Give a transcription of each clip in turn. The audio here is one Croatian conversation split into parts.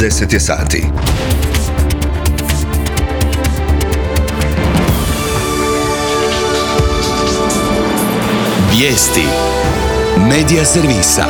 10 je sati. Vijesti Medija servisa.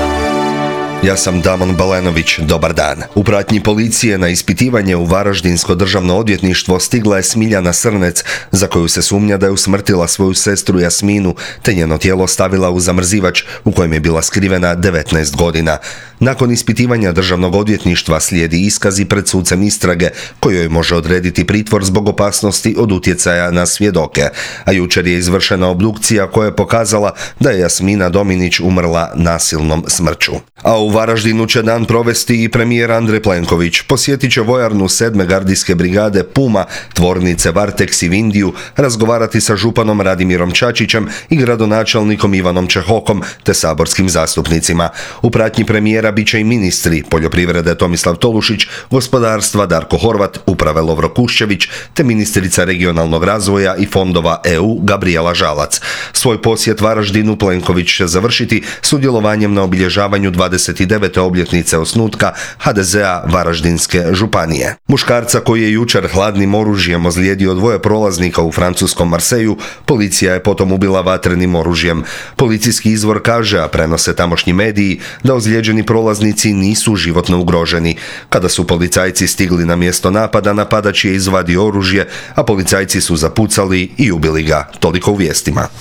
Ja sam Damon Balenović, dobar dan. U pratnji policije na ispitivanje u Varaždinsko državno odvjetništvo stigla je Smiljana Srnec, za koju se sumnja da je usmrtila svoju sestru Jasminu, te njeno tijelo stavila u zamrzivač u kojem je bila skrivena 19 godina. Nakon ispitivanja državnog odvjetništva slijedi iskazi pred sucem istrage, kojoj može odrediti pritvor zbog opasnosti od utjecaja na svjedoke. A jučer je izvršena obdukcija koja je pokazala da je Jasmina Dominić umrla nasilnom smrću. A u Varaždinu će dan provesti i premijer Andrej Plenković. Posjetit će vojarnu 7. gardijske brigade Puma, tvornice Varteks i Vindiju, razgovarati sa županom Radimirom Čačićem i gradonačelnikom Ivanom Čehokom te saborskim zastupnicima. U pratnji premijera bit će i ministri poljoprivrede Tomislav Tolušić, gospodarstva Darko Horvat, uprave Lovro Kuščević te ministrica regionalnog razvoja i fondova EU Gabrijela Žalac. Svoj posjet Varaždinu Plenković će završiti sudjelovanjem na obilježavanju 29. obljetnice osnutka HDZ-a Varaždinske županije. Muškarca koji je jučer hladnim oružjem ozlijedio 2 prolaznika u francuskom Marseju, policija je potom ubila vatrenim oružjem. Policijski izvor kaže, a prenose tamošnji mediji, da ozlijeđeni prolaznici nisu životno ugroženi. Kada su policajci stigli na mjesto napada, napadač je izvadio oružje, a policajci su zapucali i ubili ga. Toliko u vijestima.